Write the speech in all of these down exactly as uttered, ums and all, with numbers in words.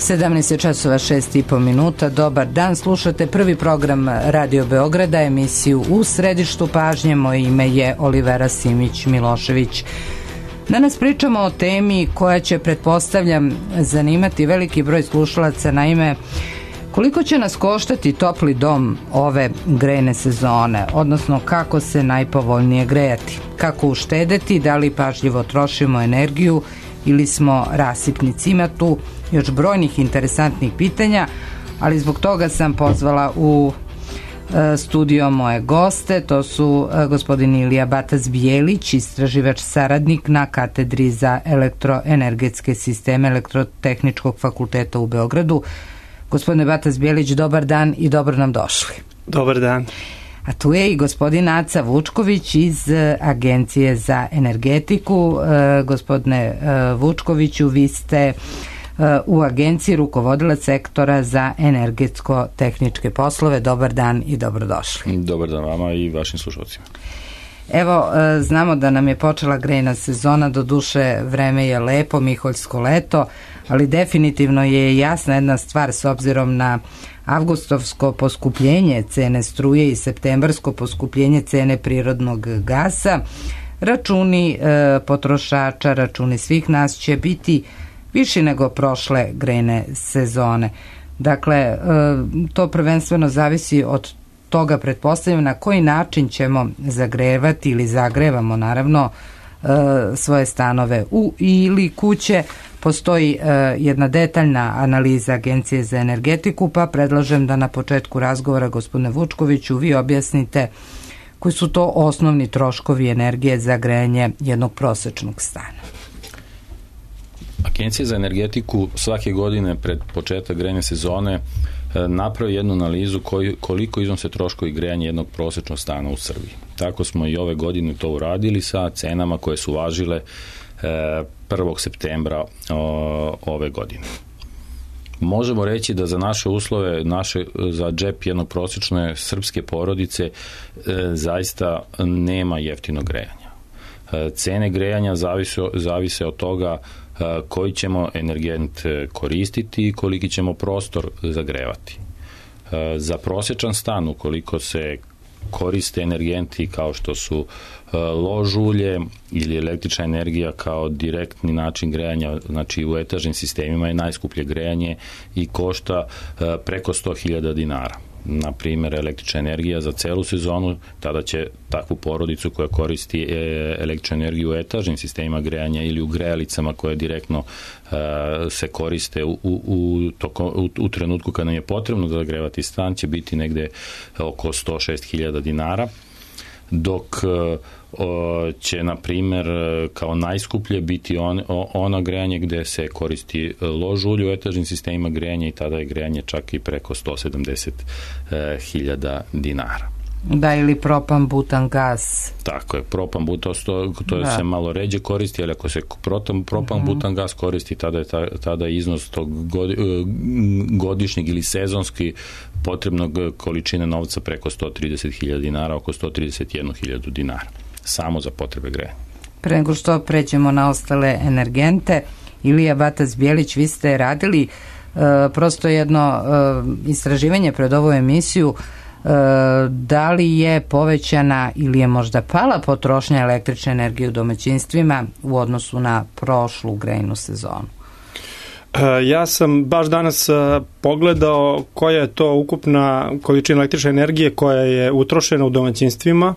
sedamnaest časova šest i po minuta. Dobar dan, slušate prvi program Radio Beograda, emisiju U središtu pažnje. Moje ime je Olivera Simić-Milošević. Danas pričamo o temi koja će, pretpostavljam, zanimati veliki broj slušalaca. Naime, koliko će nas koštati topli dom ove grejne sezone, odnosno kako se najpovoljnije grejati, kako uštedeti, da li pažljivo trošimo energiju ili smo rasipnici. Ima tu još brojnih interesantnih pitanja, ali zbog toga sam pozvala u e, studio moje goste. To su e, gospodin Ilija Batac-Bijelić, istraživač saradnik na katedri za elektroenergetske sisteme Elektrotehničkog fakulteta u Beogradu. Gospodine Batac-Bijelić, dobar dan i dobro nam došli. Dobar dan. A tu je i gospodin Aca Vučković iz Agencije za energetiku. E, gospodine e, Vučkoviću, vi ste e, u agenciji rukovodilac sektora za energetsko-tehničke poslove. Dobar dan i dobrodošli. Dobar dan vama i vašim slušalcima. Evo, e, znamo da nam je počela grejna sezona, do duše vreme je lepo, miholjsko leto, ali definitivno je jasna jedna stvar s obzirom na avgustovsko poskupljenje cene struje i septembarsko poskupljenje cene prirodnog gasa. Računi e, potrošača, računi svih nas će biti viši nego prošle grejne sezone. Dakle, e, to prvenstveno zavisi od toga, pretpostavljam, na koji način ćemo zagrevati ili zagrevamo, naravno, e, svoje stanove u ili kuće. Postoji e, jedna detaljna analiza Agencije za energetiku, pa predlažem da na početku razgovora, gospodine Vučkoviću, vi objasnite koji su to osnovni troškovi energije za grejanje jednog prosečnog stana. Agencija za energetiku svake godine pred početak grejne sezone napravi jednu analizu koji, koliko iznose troškovi grejanja jednog prosečnog stana u Srbiji. Tako smo i ove godine to uradili sa cenama koje su važile prvog septembra ove godine. Možemo reći da za naše uslove, naše, za džep jednog prosječne srpske porodice zaista nema jeftinog grejanja. Cene grejanja zavise, zavise od toga koji ćemo energent koristiti i koliki ćemo prostor zagrevati. Za prosječan stan, ukoliko se koriste energenti kao što su lož ulje ili električna energija kao direktni način grejanja, znači u etažnim sistemima je najskuplje grejanje i košta preko sto hiljada dinara. Na primjer, električna energija za celu sezonu, tada će takvu porodicu koja koristi električnu energiju u etažnim sistemima grejanja ili u grejalicama koje direktno uh, se koriste u, u, toko, u, u trenutku kada nam je potrebno da zagrevati stan, će biti negde oko sto šest hiljada dinara, dok uh, će, na primjer, kao najskuplje biti on, ona grejanje gde se koristi lož ulje u etažnim sistemima grejanja i tada je grejanje čak i preko sto sedamdeset hiljada dinara. Da, ili propan, butan, gas. Tako je, propan, butan, to, to se malo ređe koristi, ali ako se propan, propan uh-huh. butan, gas koristi, tada je, tada je iznos tog godišnjeg ili sezonski potrebnog količine novca preko sto trideset hiljada dinara, oko sto trideset jednu hiljadu dinara, samo za potrebe grejanja. Pre nego što pređemo na ostale energente, Ilija Batac-Bijelić, vi ste radili uh, prosto jedno uh, istraživanje pred ovu emisiju. Uh, da li je povećana ili je možda pala potrošnja električne energije u domaćinstvima u odnosu na prošlu grejnu sezonu? Ja sam baš danas pogledao koja je to ukupna količina električne energije koja je utrošena u domaćinstvima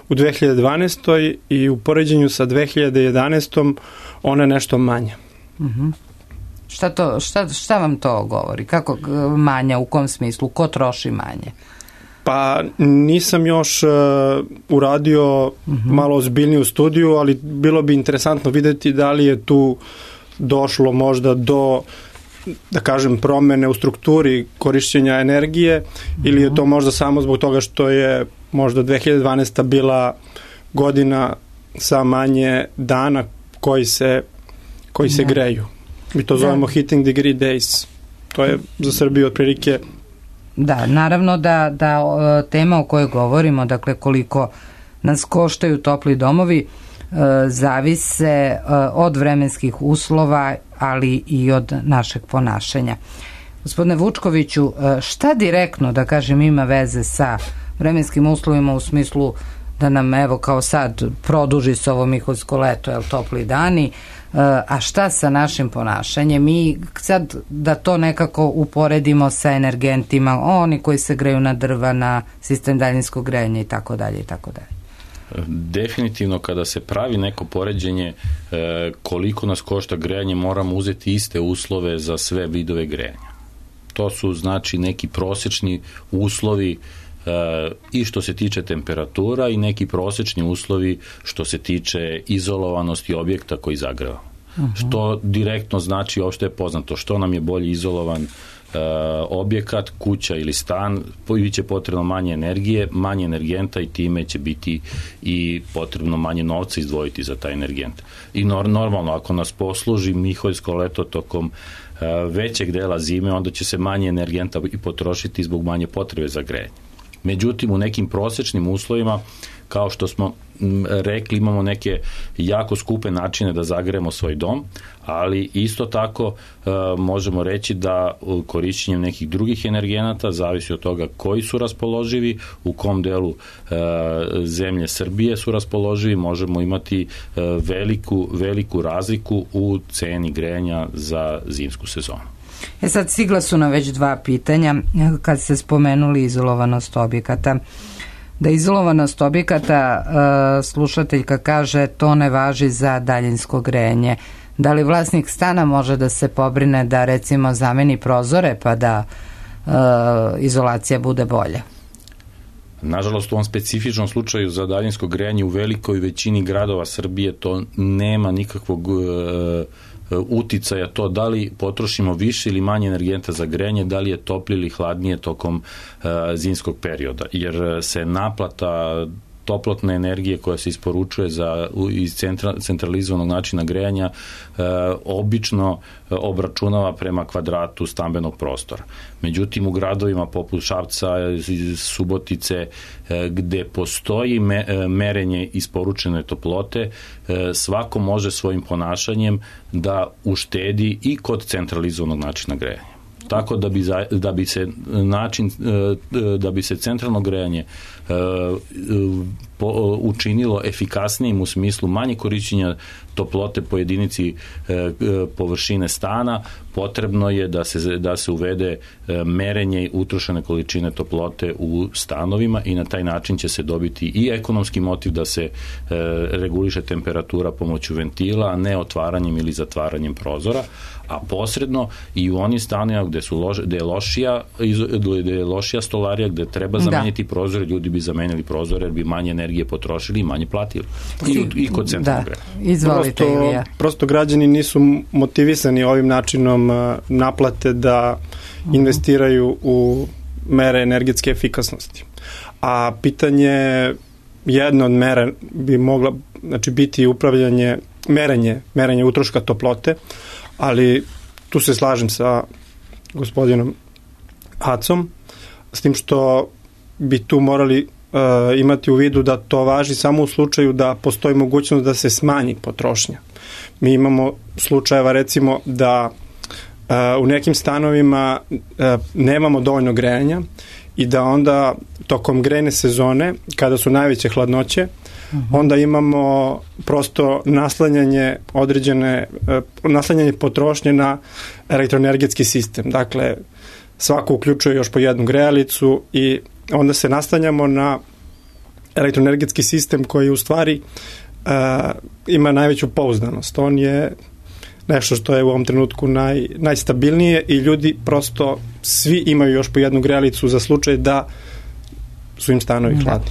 u dve hiljade dvanaestoj i u poređenju sa dve hiljade jedanaestom ona je nešto manja. Uh-huh. Šta, to, šta, šta vam to govori? Kako manja, u kom smislu? Ko troši manje? Pa nisam još uh, uradio uh-huh. malo ozbiljniju studiju, ali bilo bi interesantno videti da li je tu došlo možda do, da kažem, promene u strukturi korišćenja energije uh-huh. ili je to možda samo zbog toga što je možda dve hiljade dvanaesta bila godina sa manje dana koji se, koji se greju. Mi to zovemo da. Heating degree days. To je za Srbiju otprilike. Da, naravno da, da tema o kojoj govorimo, dakle koliko nas koštaju topli domovi, zavise od vremenskih uslova, ali i od našeg ponašanja. Gospodine Vučkoviću, šta direktno, da kažem, ima veze sa vremenskim uslovima u smislu da nam, evo, kao sad produži se ovo miholjsko leto, jel, topli dani, a šta sa našim ponašanjem? Mi sad da to nekako uporedimo sa energentima, oni koji se greju na drva, na sistem daljinskog grejanja i tako dalje i tako dalje. Definitivno kada se pravi neko poređenje koliko nas košta grejanje, moramo uzeti iste uslove za sve vidove grejanja. To su znači neki prosečni uslovi i što se tiče temperatura i neki prosečni uslovi što se tiče izolovanosti objekta koji zagreva. Uh-huh. Što direktno znači, uopšte je poznato, što nam je bolje izolovan uh, objekat, kuća ili stan, biće potrebno manje energije, manje energenta i time će biti i potrebno manje novca izdvojiti za taj energent. I nor- normalno, ako nas posluži miholjsko leto tokom uh, većeg dela zime, onda će se manje energenta i potrošiti zbog manje potrebe za grejanje. Međutim, u nekim prosečnim uslovima, kao što smo rekli, imamo neke jako skupe načine da zagrejemo svoj dom, ali isto tako e, možemo reći da korišćenjem nekih drugih energenata, zavisi od toga koji su raspoloživi, u kom delu e, zemlje Srbije su raspoloživi, možemo imati e, veliku, veliku razliku u ceni grejanja za zimsku sezonu. E sad, stigla su nam već dva pitanja kad ste spomenuli izolovanost objekata. Da izolovanost objekata, slušateljka kaže, to ne važi za daljinsko grejanje. Da li vlasnik stana može da se pobrine da recimo zameni prozore pa da e, izolacija bude bolja? Nažalost, u ovom specifičnom slučaju za daljinsko grejanje u velikoj većini gradova Srbije to nema nikakvog e, uticaja, to da li potrošimo više ili manje energenta za grejanje, da li je toplije ili hladnije tokom uh, zimskog perioda, jer se naplata toplotne energije koja se isporučuje za, iz centra, centralizovanog načina grejanja e, obično obračunava prema kvadratu stambenog prostora. Međutim, u gradovima poput Šapca, Subotice, e, gde postoji me, merenje isporučene toplote, e, svako može svojim ponašanjem da uštedi i kod centralizovanog načina grejanja. Tako da bi, za, da bi se način, da bi se centralno grejanje po, učinilo efikasnijim u smislu manje korišćenja toplote po jedinici površine stana, potrebno je da se, da se uvede merenje utrošene količine toplote u stanovima i na taj način će se dobiti i ekonomski motiv da se reguliše temperatura pomoću ventila, a ne otvaranjem ili zatvaranjem prozora, a posredno i u onim stanovima gde, su loš, gde, je lošija, gde je lošija stolarija, gde treba zameniti da. prozore, ljudi bi zamenili prozore jer bi manje energije potrošili i manje platili. I, i kod centralnog grejanja. Da. Izvolite, Ilija. Prosto, prosto građani nisu motivisani ovim načinom naplate da investiraju u mere energetske efikasnosti. A pitanje, jedna od mera bi mogla, znači, biti upravljanje, merenje, merenje utroška toplote, ali tu se slažem sa gospodinom Acom, s tim što bi tu morali uh, imati u vidu da to važi samo u slučaju da postoji mogućnost da se smanji potrošnja. Mi imamo slučajeva, recimo, da uh, u nekim stanovima uh, nemamo dovoljno grejanja i da onda tokom grejne sezone, kada su najveće hladnoće, onda imamo prosto naslanjanje određene, naslanjanje potrošnje na elektroenergetski sistem. Dakle, svako uključuje još po jednu grejalicu i onda se naslanjamo na elektroenergetski sistem koji u stvari uh, ima najveću pouzdanost. On je nešto što je u ovom trenutku naj, najstabilnije i ljudi prosto svi imaju još po jednu grejalicu za slučaj da su im stanovi hladni.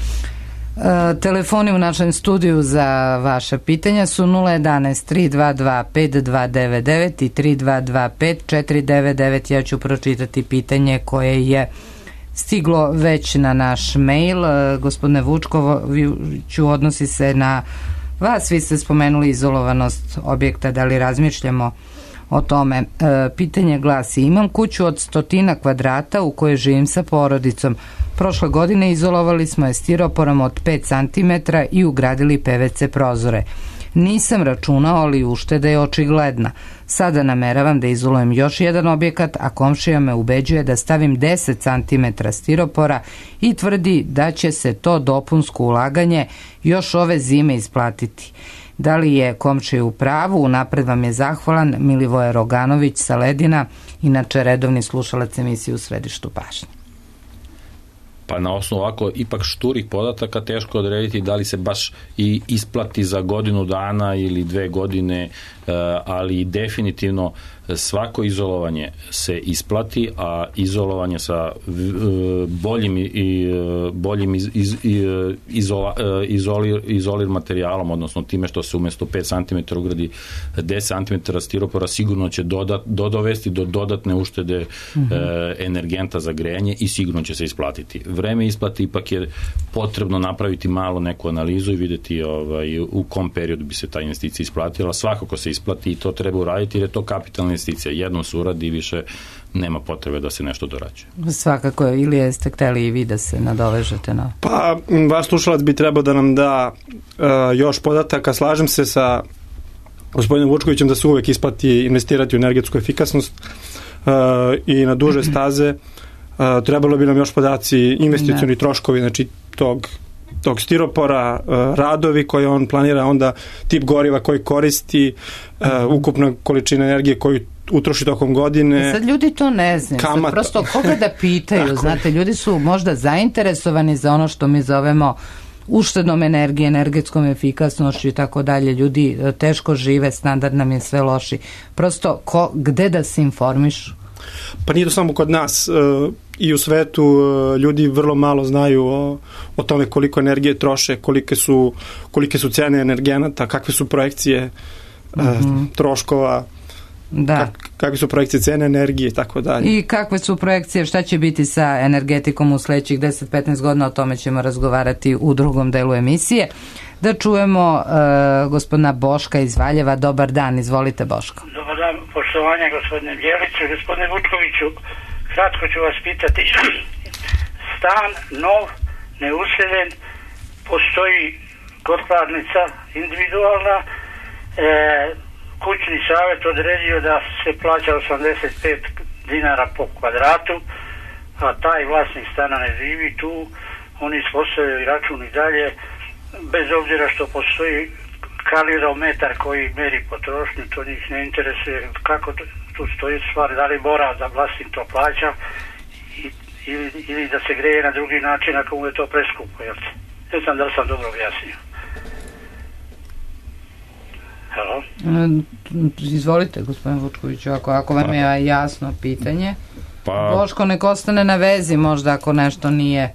Uh, telefoni u našem studiju za vaše pitanja su nula jedanaest tri dva dva pet dva devet devet i tri dva dva pet četiri devet devet. Ja ću pročitati pitanje koje je stiglo već na naš mail. Uh, gospodine Vučkoviću, odnosi se na vas. Vi ste spomenuli izolovanost objekta, da li razmišljamo o tome? E, pitanje glasi: imam kuću od stotina kvadrata u kojoj živim sa porodicom. Prošle godine izolovali smo je stiroporom od pet centimetara i ugradili P V C prozore. Nisam računao, ali ušteda je očigledna. Sada nameravam da izolujem još jedan objekat, a komšija me ubeđuje da stavim deset centimetara stiropora i tvrdi da će se to dopunsko ulaganje još ove zime isplatiti. Da li je komšija u pravu? Unapred vam je zahvalan Milivoje Roganović sa Ledina, inače redovni slušalac emisije U središtu pažnje. Pa na osnovu ovako ipak šturih podataka teško odrediti da li se baš i isplati za godinu dana ili dve godine, ali definitivno svako izolovanje se isplati, a izolovanje sa boljim i boljim iz, iz, izola, izolir, izolir materijalom, odnosno time što se umjesto pet centimetara ugradi deset centimetara stiropora, sigurno će dodat, dodovesti do dodatne uštede mm-hmm. energenta za grejanje i sigurno će se isplatiti. Vreme isplati ipak je potrebno napraviti malo neku analizu i vidjeti ovaj, u kom periodu bi se ta investicija isplatila. Svakako se isplati i to treba uraditi jer je to kapitalna investicija. Jednom se uradi i više nema potrebe da se nešto dorađuje. Svakako, ili jeste hteli i vi da se nadovežete na... Pa, vaš slušalac bi trebao da nam da uh, još podataka. Slažem se sa gospodinom Vučkovićem da se uvek isplati investirati u energetsku efikasnost uh, i na duže staze. Uh, trebalo bi nam još podaci investicioni troškovi, znači tog tog stiropora, uh, radovi koje on planira, onda tip goriva koji koristi, uh, ukupna količina energije koju utroši tokom godine. Sad ljudi to ne znaju. Sad prosto koga da pitaju, znate, ljudi su možda zainteresovani za ono što mi zovemo uštednom energije, energetskom efikasnošću i tako dalje. Ljudi teško žive, standard nam je sve loši. Prosto ko, gde da se informišu? Pa nije to samo kod nas. I u svetu ljudi vrlo malo znaju o, o tome koliko energije troše, kolike su, kolike su cene energenata, kakve su projekcije mm-hmm. troškova, da. Kak, kakve su projekcije cene energije i tako dalje. I kakve su projekcije, šta će biti sa energetikom u sledećih deset do petnaest godina, o tome ćemo razgovarati u drugom delu emisije. Da čujemo uh, gospodina Boška iz Valjeva. Dobar dan, izvolite Boško. Dobar dan, poštovanja gospodine Bjeliću. Gospodine Vučkoviću, kratko ću vas pitati. Stan, nov, neuseljen, postoji kotlarnica individualna, e, kućni savjet odredio da se plaća osamdeset pet dinara po kvadratu, a taj vlasnik stana ne živi tu, oni ispostavljaju račun i dalje, bez obzira što postoji kalirometar koji meri potrošnju, to njih ne interesuje kako tu stoji stvar, da li mora da vlasnik to plaća i, ili, ili da se greje na drugi način ako mu je to preskupo, jel te? Ne znam da li sam dobro objasnio. Halo? Izvolite, gospodin Vučkoviću, ako, ako vam je jasno pitanje. Pa, Boško, nek ostane na vezi možda ako nešto nije...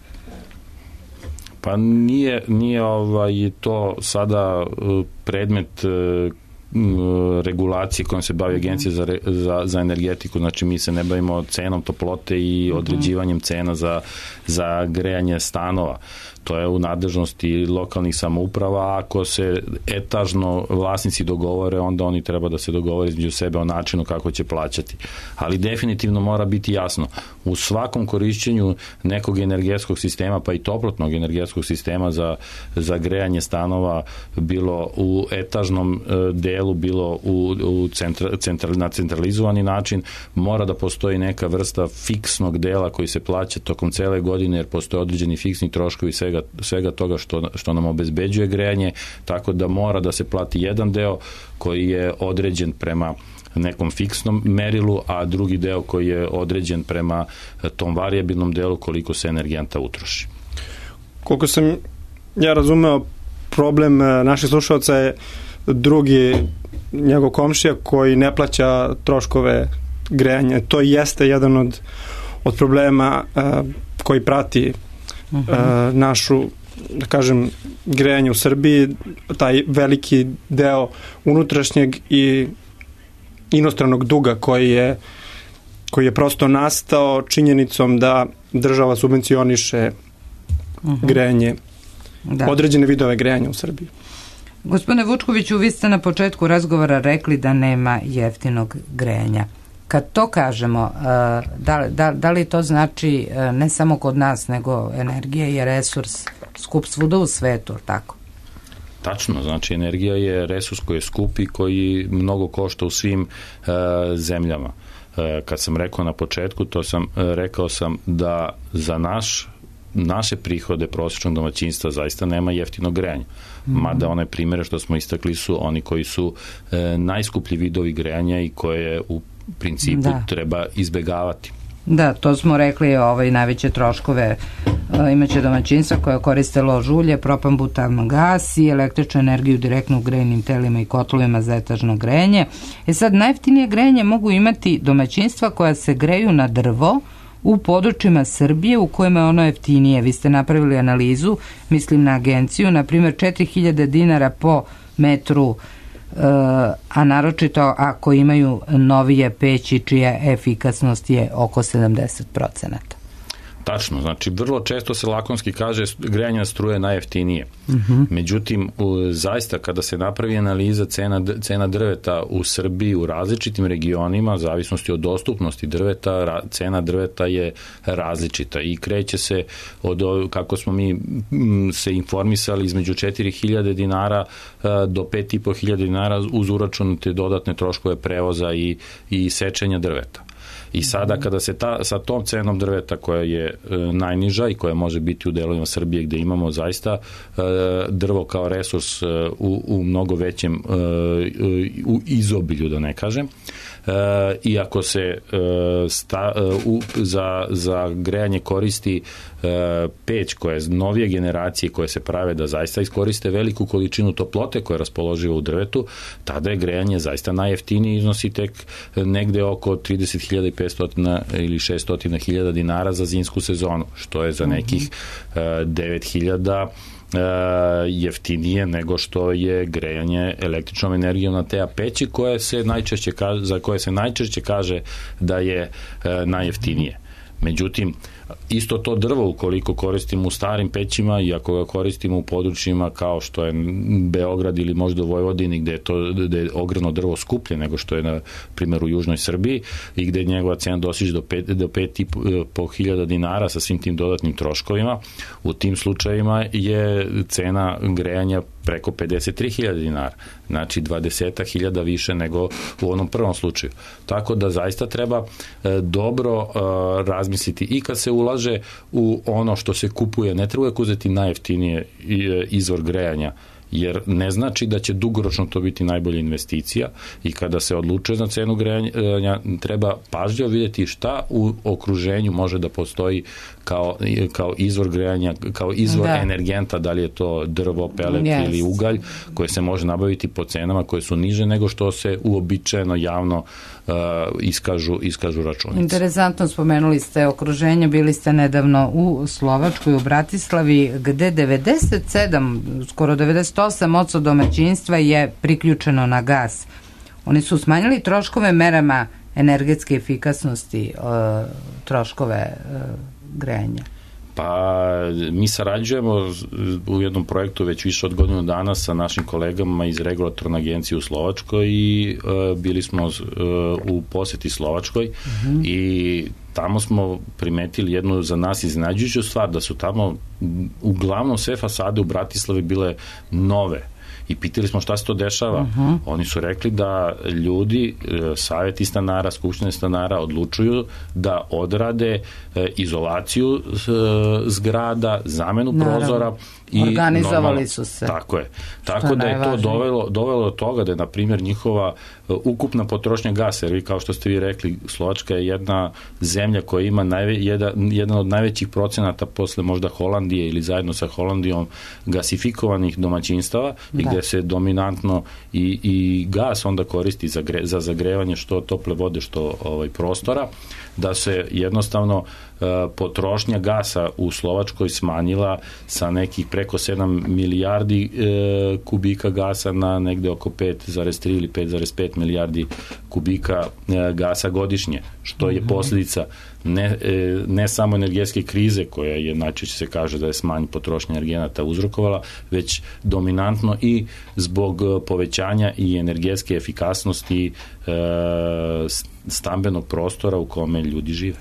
Pa nije, nije ovaj, to sada predmet regulacije kojom se bavi Agencija za, za, za energetiku, znači mi se ne bavimo cenom toplote i određivanjem cena za, za grejanje stanova. To je u nadležnosti lokalnih samouprava. Ako se etažno vlasnici dogovore, onda oni treba da se dogovore između sebe o načinu kako će plaćati. Ali definitivno mora biti jasno, u svakom korišćenju nekog energetskog sistema, pa i toplotnog energetskog sistema za, za grejanje stanova, bilo u etažnom delu, bilo u, u centra, centra, na centralizovani način, mora da postoji neka vrsta fiksnog dela koji se plaća tokom cele godine, jer postoje određeni fiksni troškovi svega, svega toga što, što nam obezbeđuje grejanje, tako da mora da se plati jedan deo koji je određen prema nekom fiksnom merilu, a drugi deo koji je određen prema tom varijabilnom delu koliko se energenta utroši. Koliko sam ja razumeo, problem naših slušalca je drugi njegov komšija koji ne plaća troškove grejanja. To jeste jedan od, od problema uh, koji prati uh, našu, da kažem, grejanje u Srbiji, taj veliki deo unutrašnjeg i inostranog duga koji je, koji je prosto nastao činjenicom da država subvencioniše uh-huh. grejanje, da. određene vidove grejanja u Srbiji. Gospodine Vučkoviću, vi ste na početku razgovora rekli da nema jeftinog grejanja. Kad to kažemo, da, da, da li to znači ne samo kod nas, nego energija je resurs skup svuda u svetu, tako? Tačno, znači energija je resurs koji je skup i koji mnogo košta u svim e, zemljama. E, kad sam rekao na početku, to sam, e, rekao sam da za naš naše prihode prosječnog domaćinstva zaista nema jeftinog grejanja. Mm-hmm. Mada one primjere što smo istakli su oni koji su e, najskuplji vidovi grejanja i koje u principu da. treba izbegavati. Da, to smo rekli, ovaj, najveće troškove e, imaće domaćinstva koja koriste lož ulje, propan-butan gas i električnu energiju direktno u grejnim telima i kotlovima za etažno grejanje. E sad, najjeftinije grejanje mogu imati domaćinstva koja se greju na drvo u područjima Srbije u kojima je ono jeftinije. Vi ste napravili analizu, mislim na agenciju, na primjer četiri hiljade dinara po metru, a naročito ako imaju novije peći čija efikasnost je oko sedamdeset procenata. Tačno, znači vrlo često se lakonski kaže grejanje na struje najjeftinije. Uh-huh. Međutim, u, zaista kada se napravi analiza cena, cena drveta u Srbiji u različitim regionima, zavisnosti od dostupnosti drveta, ra, cena drveta je različita i kreće se od, kako smo mi m, se informisali, između četiri hiljade dinara a, do pet i po hiljade dinara uz uračunate dodatne troškove prevoza i, i sečenja drveta. I sada kada se ta, sa tom cenom drveta koja je e, najniža i koja može biti u delovima Srbije gde imamo zaista e, drvo kao resurs e, u, u mnogo većem e, u izobilju, da ne kažem, e, i ako se e, sta, e, u, za, za grejanje koristi e, peć koja je novije generacije koje se prave da zaista iskoriste veliku količinu toplote koja je raspoloživa u drvetu, tada je grejanje zaista najjeftiniji, iznosi tek negde oko trideset hiljada i petsto ili šesto hiljada dinara za zimsku sezonu, što je za nekih uh, devet hiljada uh, jeftinije nego što je grejanje električnom energijom na te peći koje se najčešće kaže, za koje se najčešće kaže da je uh, najjeftinije. Međutim, isto to drvo ukoliko koristimo u starim pećima i ako ga koristimo u područjima kao što je Beograd ili možda u Vojvodini gde je, to, gde je ogromno drvo skuplje nego što je na primjer u južnoj Srbiji i gde njegova cena dosiže do pet, do pet i po hiljada dinara sa svim tim dodatnim troškovima, u tim slučajevima je cena grejanja preko pedeset tri hiljade dinara, znači dvadeset hiljada više nego u onom prvom slučaju. Tako da zaista treba e, dobro e, razmisliti i kad se ulaže u ono što se kupuje, ne treba uvijek uzeti najjeftinije izvor grejanja, jer ne znači da će dugoročno to biti najbolja investicija i kada se odlučuje za cenu grejanja treba pažljivo vidjeti šta u okruženju može da postoji kao, kao izvor grejanja, kao izvor da. energenta, da li je to drvo, pelet yes. ili ugalj koje se može nabaviti po cenama koje su niže nego što se uobičajeno javno uh, iskažu, iskažu računice. Interesantno, spomenuli ste okruženje, bili ste nedavno u Slovačkoj, u Bratislavi, gde devedeset sedam, skoro devedeset osam posto domaćinstva je priključeno na gas. Oni su smanjili troškove merama energetske efikasnosti, uh, troškove uh, grejanja. Pa mi sarađujemo u jednom projektu već više od godinu dana sa našim kolegama iz regulatorne agencije u Slovačkoj i uh, bili smo uh, u poseti Slovačkoj uh-huh. i tamo smo primetili jednu za nas iznenađujuću stvar, da su tamo uglavnom sve fasade u Bratislavi bile nove. I pitali smo šta se to dešava. Uh-huh. Oni su rekli da ljudi, savjeti stanara, skupštine stanara odlučuju da odrade izolaciju zgrada, zamenu Naravno. prozora i organizovali normalno, su se. Tako je. Tako da je to dovelo, dovelo do toga da je, na primjer, njihova ukupna potrošnja gasa, jer vi, kao što ste vi rekli, Slovačka je jedna zemlja koja ima najve, jedan, jedan od najvećih procenata posle možda Holandije ili zajedno sa Holandijom gasifikovanih domaćinstava da. i gde se dominantno i, i gas onda koristi za, gre, za zagrevanje što tople vode, što ovaj, prostora, da se jednostavno uh, potrošnja gasa u Slovačkoj smanjila sa nekih preko sedam milijardi uh, kubika gasa na negde oko pet zarez tri ili pet zarez pet milijardi kubika uh, gasa godišnje, što je posljedica ne, ne samo energetske krize koja je, najčešće se kaže da je smanj potrošnja energenata uzrokovala, već dominantno i zbog povećanja i energetske efikasnosti e, stambenog prostora u kome ljudi žive.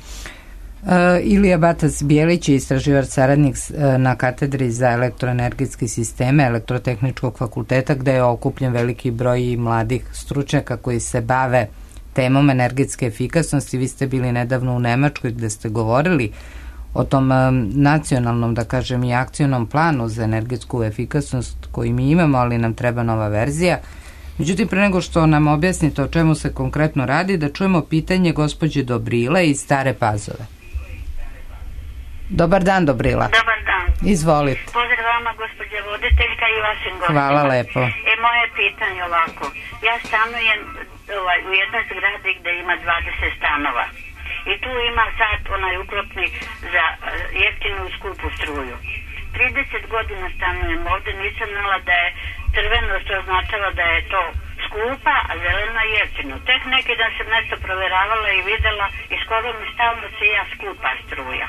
Ilija Batac-Bijelić je istraživač saradnik na katedri za elektroenergetske sisteme Elektrotehničkog fakulteta, gde je okupljen veliki broj mladih stručnjaka koji se bave temom energetske efikasnosti. Vi ste bili nedavno u Nemačkoj gde ste govorili o tom nacionalnom, da kažem, i akcionom planu za energetsku efikasnost koji mi imamo, ali nam treba nova verzija. Međutim, pre nego što nam objasnite o čemu se konkretno radi, da čujemo pitanje gospođe Dobrile iz Stare Pazove. Dobar dan, Dobrila. Dobar dan. Izvolite. Pozdrav vama, gospođa voditeljka i vašim gostima. Hvala lepo. E, moje pitanje ovako. Ja stanujem ovaj, u jednoj zgradi gde ima dvadeset stanova. I tu ima sad onaj uklopni za uh, jeftinu i skupu struju. trideset godina stanujem ovde, nisam znala da je crveno, što označava da je to skupa, a zeleno je jeftino. Tek neki dan sam nešto proveravala i videla i skoro mi stalno se ja skupa struja.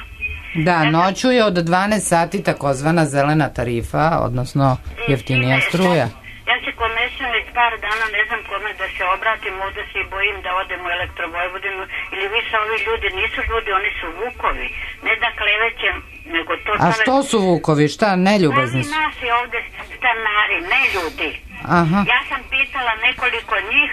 Da, noću je od dvanaest sati takozvana zelena tarifa, odnosno jeftinija struja. Ja se komešam već par dana, ne znam kome da se obratim, ovde se i bojim da odem u Elektrovojvodinu, ili više ovi ljudi nisu ljudi, oni su vukovi. Ne da klevećem, nego to... A što su vukovi, šta, neljubazni su? Oni naši ovde stanari, ne ljudi. Aha. Ja sam pitala nekoliko njih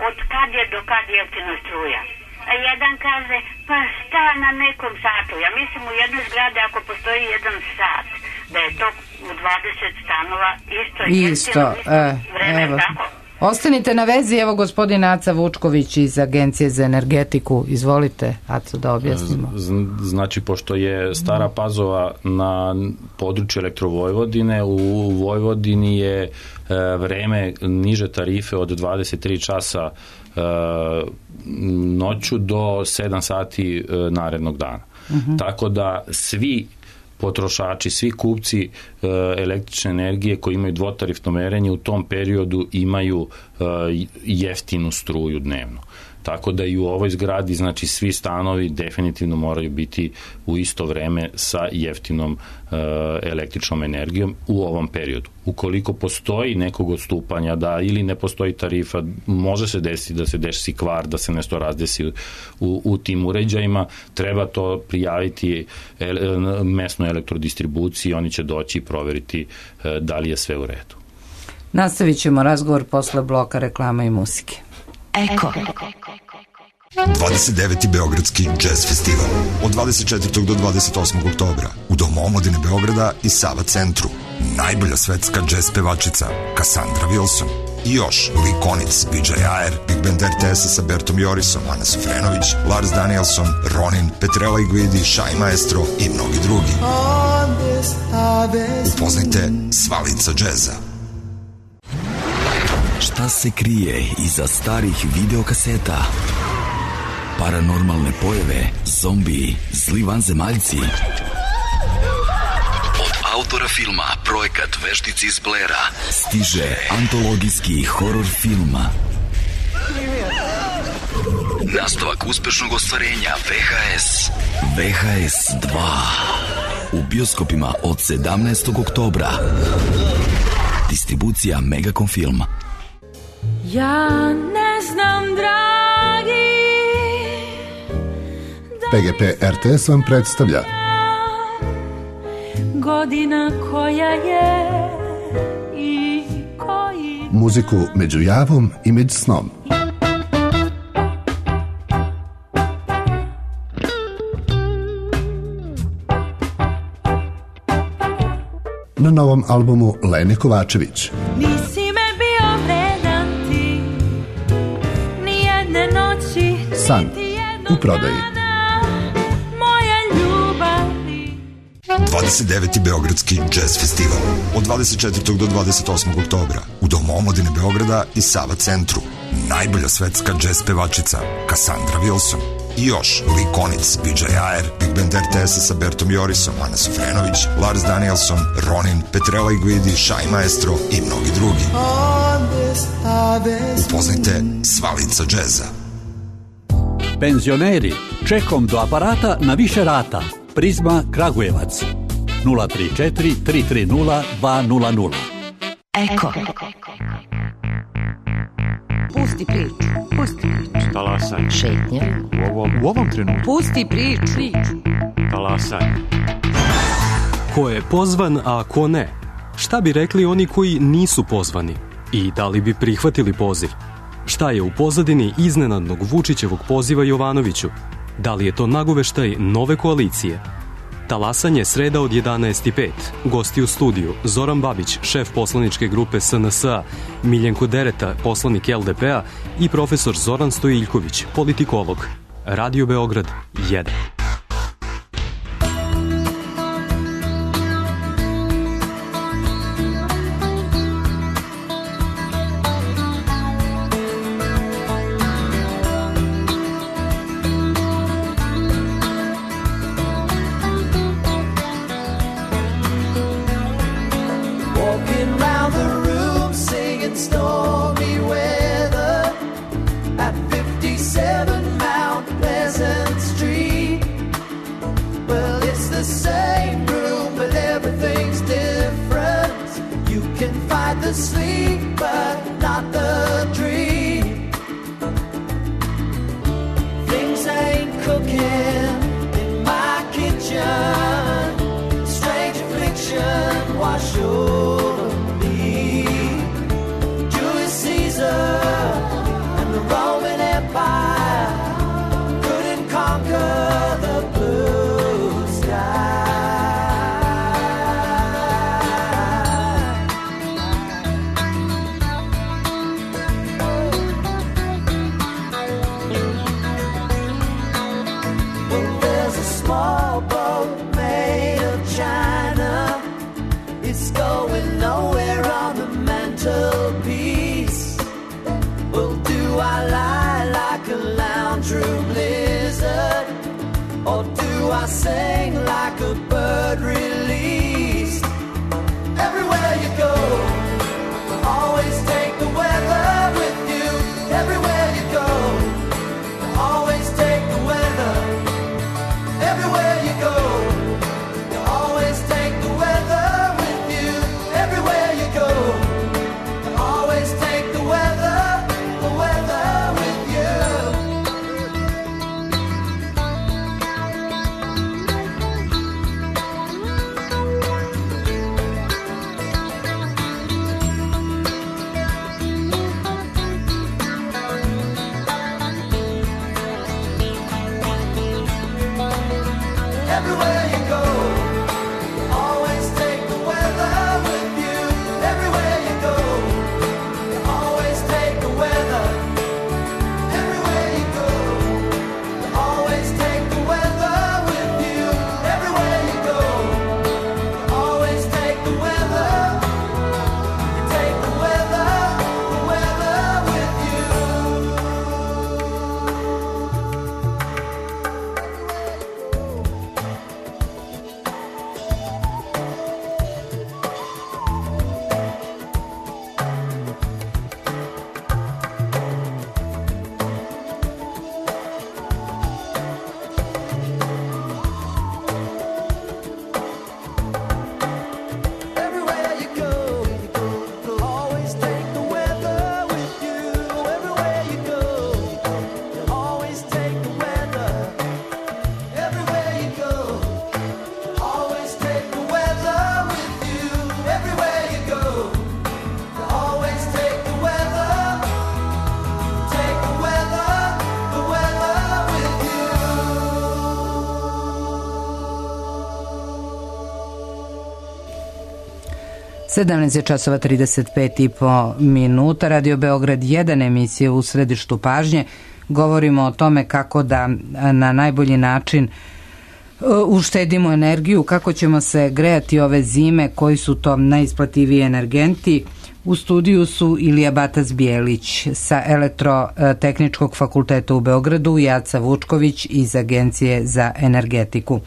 od kad je do kad jeftina struja. A jedan kaže, pa šta na nekom satu? Ja mislim u jednoj zgradi ako postoji jedan sat, da je to u dvadeset stanova isto, isto, jeftino, e, vreme, evo. tako? Ostanite na vezi, evo gospodin Aca Vučković iz Agencije za energetiku. Izvolite, Aco, da objasnimo. Znači, pošto je Stara Pazova na području Elektrovojvodine, u Vojvodini je vreme niže tarife od dvadeset tri časa noću do sedam sati narednog dana. Uh-huh. Tako da svi potrošači, svi kupci e, električne energije koji imaju dvotarifno merenje u tom periodu imaju e, jeftinu struju dnevno. Tako da i u ovoj zgradi, znači svi stanovi definitivno moraju biti u isto vreme sa jeftinom e, električnom energijom u ovom periodu. Ukoliko postoji nekog odstupanja da ili ne postoji tarifa, može se desiti da se desi kvar, da se nešto razdesi u, u tim uređajima, treba to prijaviti el, mesnoj elektrodistribuciji, oni će doći i proveriti e, da li je sve u redu. Nastavit ćemo razgovor posle bloka reklama i muzike. Eko. dvadeset deveti Beogradski jazz festival od dvadeset četvrtog do dvadeset osmog oktobra u Domu omladine Beograda i Sava centru. Najbolja svetska jazz pevačica Cassandra Wilson i još Lee Konitz, B J Ayer, Big Band R T S sa Bertom Jorisom, Ana Sofrenović, Lars Danielson, Ronin, Petrella i Guidi, Shai Maestro i mnogi drugi. Upoznajte Svalica džeza. Šta se krije iza starih videokaseta? Paranormalne pojave, zombiji, zli vanzemaljci. Od autora filma Projekat Veštici iz Blera stiže antologijski horor film. Nastavak uspešnog ostvarenja V H S. V H S dva. U bioskopima od sedamnaestog oktobra. Distribucija Megacom Film. Ja ne znam, dragi, P G P R T S vam predstavlja godina koja je i koji... muziku među javom i među snom. Na novom albumu Lene Kovačević. Nisi me bio vredan ti, nijedne noći, San u prodaji. Moja ljubavi. dvadeset deveti Beogradski jazz festival od dvadeset četvrtog do dvadeset osmog oktobra u Domu omladine Beograda i Sava centru. Najbolja svetska jazz pevačica Cassandra Wilson i još Lee Konitz, B J Ayer, Big Band R T S sa Bertom Jorisom, Ana Sofrenović, Lars Danielson, Ronin, Petrella i Guidi, Shai Maestro i mnogi drugi. Upoznajte Svalica džeza. Penzioneri, čekom do aparata na više rata. Prizma Kragujevac nula tri četiri tri tri nula dva nula nula. Eko. Pusti priču, pusti priču. Talasaj. Šetnja. U ovom, u ovom trenutku. Pusti priču. Talasaj. Ko je pozvan, a ko ne? Šta bi rekli oni koji nisu pozvani? I da li bi prihvatili poziv? Šta je u pozadini iznenadnog Vučićevog poziva Jovanoviću? Da li je to nagoveštaj nove koalicije? Talasanje sreda od jedanaest i pet. Gosti u studiju Zoran Babić, šef poslaničke grupe S N S A, Miljenko Dereta, poslanik L D P-a i profesor Zoran Stojiljković, politikolog. Radio Beograd jedan. sedamnaest je časova trideset pet i po minuta. Radio Beograd jedan, emisija u središtu pažnje. Govorimo o tome kako da na najbolji način uštedimo energiju, kako ćemo se grejati ove zime, koji su to najisplativiji energenti. U studiju su Ilija Batac-Bijelić sa Elektrotehničkog fakulteta u Beogradu i Aca Vučković iz Agencije za energetiku.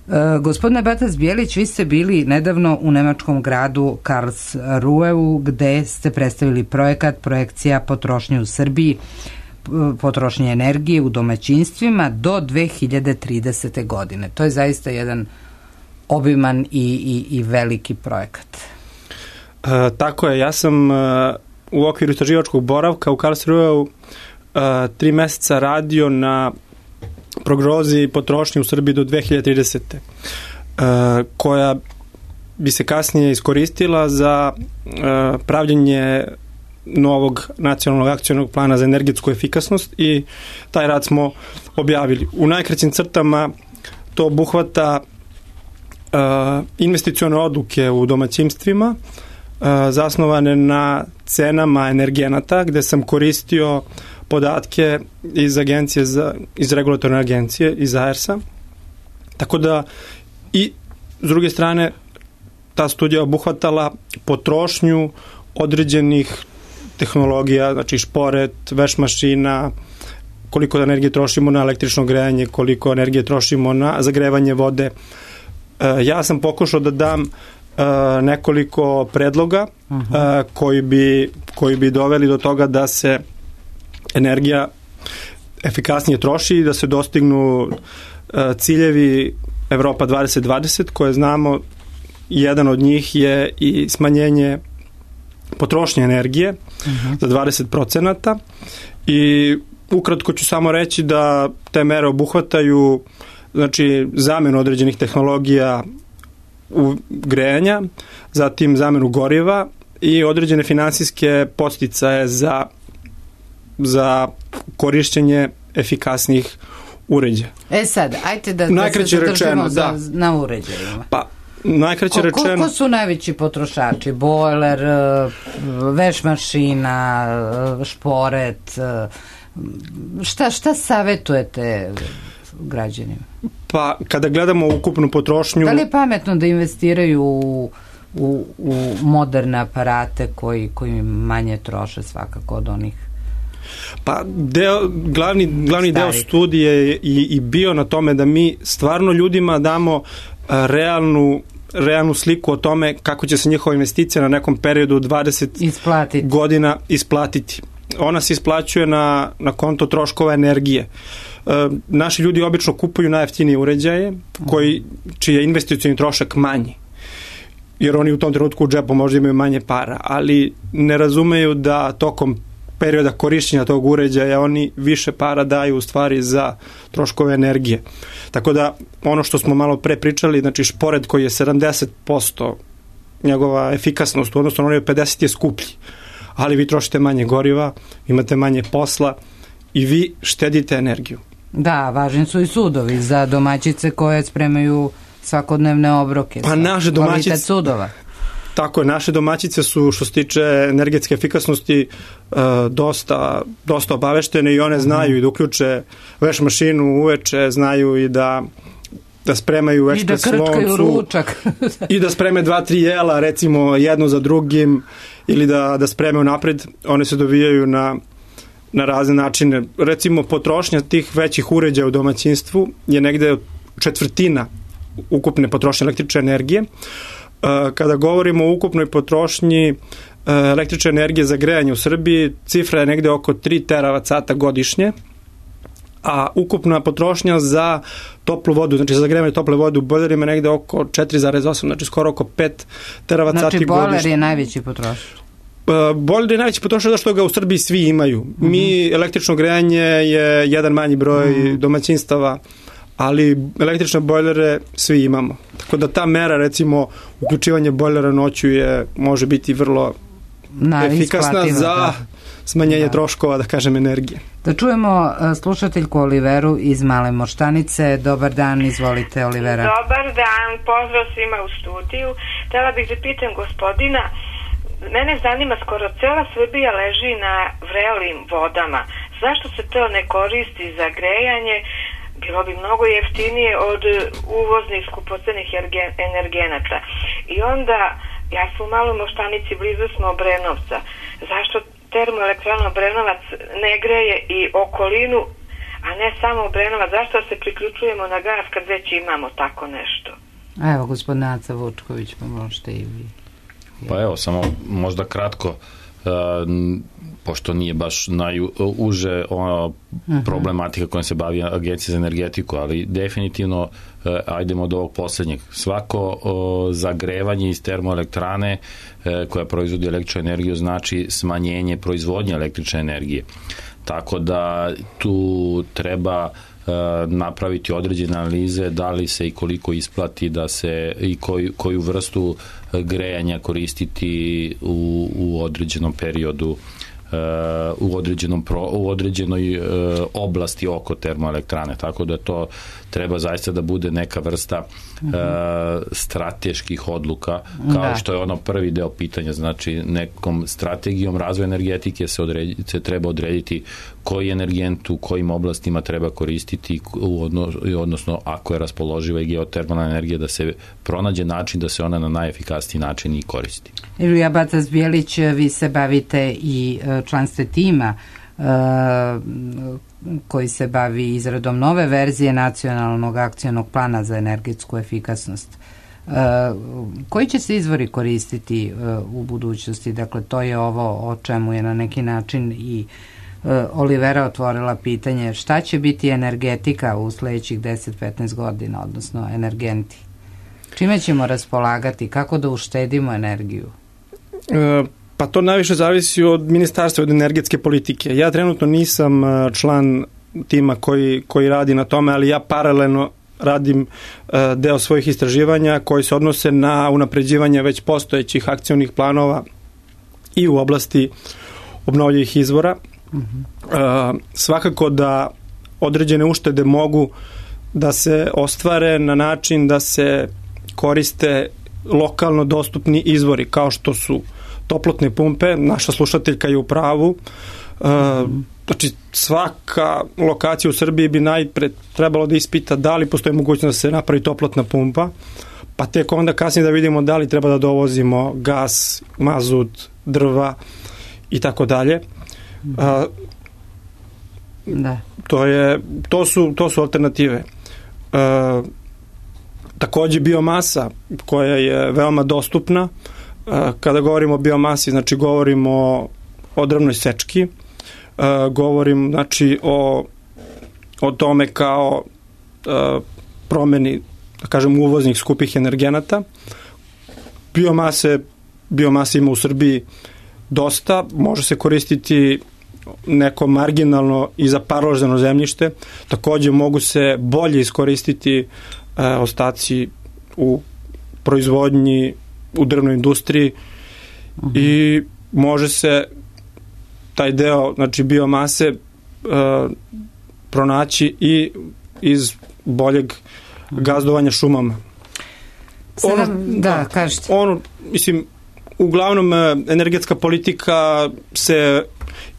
E, gospodine Batac-Bijelić, vi ste bili nedavno u nemačkom gradu Karlsruheu, gde ste predstavili projekat projekcija potrošnje u Srbiji, potrošnje energije u domaćinstvima do dve hiljade tridesete. godine. To je zaista jedan obiman i, i, i veliki projekat. E, tako je, ja sam e, u okviru istraživačkog boravka u Karlsruheu tri meseca radio na prognozi potrošnje u Srbiji do dve hiljade tridesete. koja bi se kasnije iskoristila za pravljenje novog nacionalnog akcionog plana za energetsku efikasnost i taj rad smo objavili. U najkraćim crtama to obuhvata uh, investicione odluke u domaćinstvima uh, zasnovane na cenama energenata, gde sam koristio podatke iz agencije za, iz regulatorne agencije, iz A E R S-a. Tako da i s druge strane ta studija obuhvatala potrošnju određenih tehnologija, znači šporet, veš mašina, koliko energije trošimo na električno grejanje, koliko energije trošimo na zagrevanje vode. E, ja sam pokušao da dam e, nekoliko predloga uh-huh. e, koji, bi, koji bi doveli do toga da se energija efikasnije troši i da se dostignu e, ciljevi Evropa dvadeset dvadeset, koje znamo, jedan od njih je i smanjenje potrošnje energije uh-huh. za dvadeset procenata i ukratko ću samo reći da te mere obuhvataju znači zamenu određenih tehnologija u grejanja, zatim zamenu goriva i određene finansijske podsticaje za, za korišćenje efikasnih uređaja. E sad, ajte da, da se zadržimo za, da. na uređajima. Pa, najkraće ko, rečeno... Ko su najveći potrošači? Bojler, veš mašina, šporet, šta, šta savjetujete građanima? Pa, kada gledamo ukupnu potrošnju... Da li je pametno da investiraju u, u, u moderne aparate koji, koji manje troše svakako od onih? Pa deo, glavni, glavni deo studije je i, i bio na tome da mi stvarno ljudima damo realnu realnu sliku o tome kako će se njihova investicija na nekom periodu dvadeset isplatiti. godina isplatiti. Ona se isplaćuje na, na konto troškova energije. E, naši ljudi obično kupuju najjeftinije uređaje koji, čiji je investicioni trošak manji. Jer oni u tom trenutku u džepu možda imaju manje para, ali ne razumeju da tokom perioda korišćenja tog uređaja oni više para daju u stvari za troškove energije. Tako da ono što smo malo pre pričali, znači šporet koji je sedamdeset posto njegova efikasnost, odnosno ono je pedeset je skuplji, ali vi trošite manje goriva, imate manje posla i vi štedite energiju. Da, važni su i sudovi za domaćice koje spremaju svakodnevne obroke. Pa naše domaćice sudova. Tako je, naše domaćice su što se tiče energetske efikasnosti dosta, dosta obaveštene i one znaju i da uključe veš mašinu uveče, znaju i da da spremaju ekspres loncu. I da krčkaju ručak. I da spreme dva, tri jela, recimo jedno za drugim, ili da, da spreme napred. One se dovijaju na, na razne načine. Recimo, potrošnja tih većih uređaja u domaćinstvu je negde četvrtina ukupne potrošnje električne energije. Kada govorimo o ukupnoj potrošnji električne energije za grejanje u Srbiji, cifra je negde oko tri teravat sata godišnje, a ukupna potrošnja za toplu vodu, znači za zagrevanje tople vode u bojlerima je negde oko četiri zarez osam, znači skoro oko pet teravat sati godišnje. Znači bojler je najveći potrošač? Bojler je najveći potrošač zato što ga u Srbiji svi imaju. Mm-hmm. Mi, električno grejanje je jedan manji broj mm-hmm. domaćinstava, ali električne bojlere svi imamo. Tako da ta mera, recimo, uključivanje bojlera noću je, može biti vrlo Na, efikasna za da. smanjenje da. troškova, da kažem, energije. Da čujemo slušateljku Oliveru iz Male Moštanice. Dobar dan, izvolite, Olivera. Dobar dan, pozdrav svima u studiju. Htela bih da pitam gospodina, mene zanima, skoro cela Srbija leži na vrelim vodama. Zašto se to ne koristi za grejanje? Bilo bi mnogo jeftinije od uvoznih skupocenih energenata. I onda, ja sam u Maloj Moštanici, blizu smo Obrenovca. Zašto termoelektrana Obrenovac ne greje i okolinu, a ne samo Obrenovac? Zašto se priključujemo na gas kad već imamo tako nešto? Evo, gospodin Aca Vučković, pa možete i vi. Pa evo, samo možda kratko, uh, pošto nije baš najuže ono problematika kojom se bavi Agencija za energetiku, ali definitivno e, ajdemo od ovog poslednjeg. Svako o, zagrevanje iz termoelektrane e, koja proizvodi električnu energiju znači smanjenje proizvodnje električne energije. Tako da tu treba napraviti određene analize da li se i koliko isplati da se i koju, koju vrstu grejanja koristiti u, u određenom periodu u, određenom pro, u određenoj oblasti oko termoelektrane, tako da to treba zaista da bude neka vrsta uh, strateških odluka, kao da. Što je ono prvi deo pitanja, znači nekom strategijom razvoja energetike se, odredi, se treba odrediti koji energent u kojim oblastima treba koristiti, u odnos, odnosno ako je raspoloživa i geotermalna energija, da se pronađe način da se ona na najefikasniji način i koristi. Ilija Batac-Bjelić, vi se bavite i članstve tima uh, koji se bavi izradom nove verzije nacionalnog akcionog plana za energetsku efikasnost. Uh, koji će se izvori koristiti uh, u budućnosti? Dakle, to je ovo o čemu je na neki način i uh, Olivera otvorila pitanje šta će biti energetika u sledećih deset do petnaest godina, odnosno energenti. Čime ćemo raspolagati? Kako da uštedimo energiju? Uh, Pa to najviše zavisi od ministarstva, od energetske politike. Ja trenutno nisam član tima koji, koji radi na tome, ali ja paralelno radim deo svojih istraživanja koji se odnose na unapređivanje već postojećih akcionih planova i u oblasti obnovljivih izvora. Mm-hmm. Svakako da određene uštede mogu da se ostvare na način da se koriste lokalno dostupni izvori, kao što su toplotne pumpe. Naša slušateljka je u pravu. E, znači, svaka lokacija u Srbiji bi najpre trebalo da ispita da li postoji mogućnost da se napravi toplotna pumpa, pa tek onda kasnije da vidimo da li treba da dovozimo gas, mazut, drva i tako dalje. Da. To je, to su, to su alternative. E, takođe biomasa koja je veoma dostupna. Kada govorimo o biomasi, znači govorimo o drvnoj sečki, govorim znači o, o tome kao promeni, da kažem, uvoznih skupih energenata. Biomase, biomase ima u Srbiji dosta, može se koristiti neko marginalno i za parloženo zemljište, takođe mogu se bolje iskoristiti ostaci u proizvodnji u drvnoj industriji uh-huh. i može se taj deo, znači biomase uh, pronaći i iz boljeg gazdovanja šumama. Ono, Sedam, da, kažete. Ono, mislim, uglavnom energetska politika se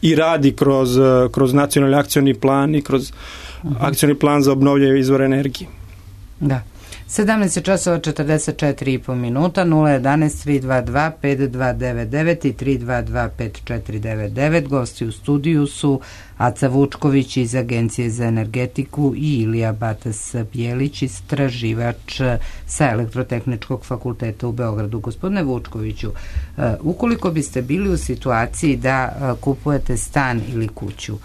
i radi kroz, kroz nacionalni akcioni plan i kroz uh-huh. akcioni plan za obnovljive izvore energije. Da. sedamnaest časova četrdeset četiri i po minuta, nula jedanaest tri dva dva pet dva devet devet i tri dva dva pet četiri devet devet. Gosti u studiju su Aca Vučković iz Agencije za energetiku i Ilija Batac-Bjelić, istraživač sa Elektrotehničkog fakulteta u Beogradu. Gospodine Vučkoviću, ukoliko biste bili u situaciji da kupujete stan ili kuću,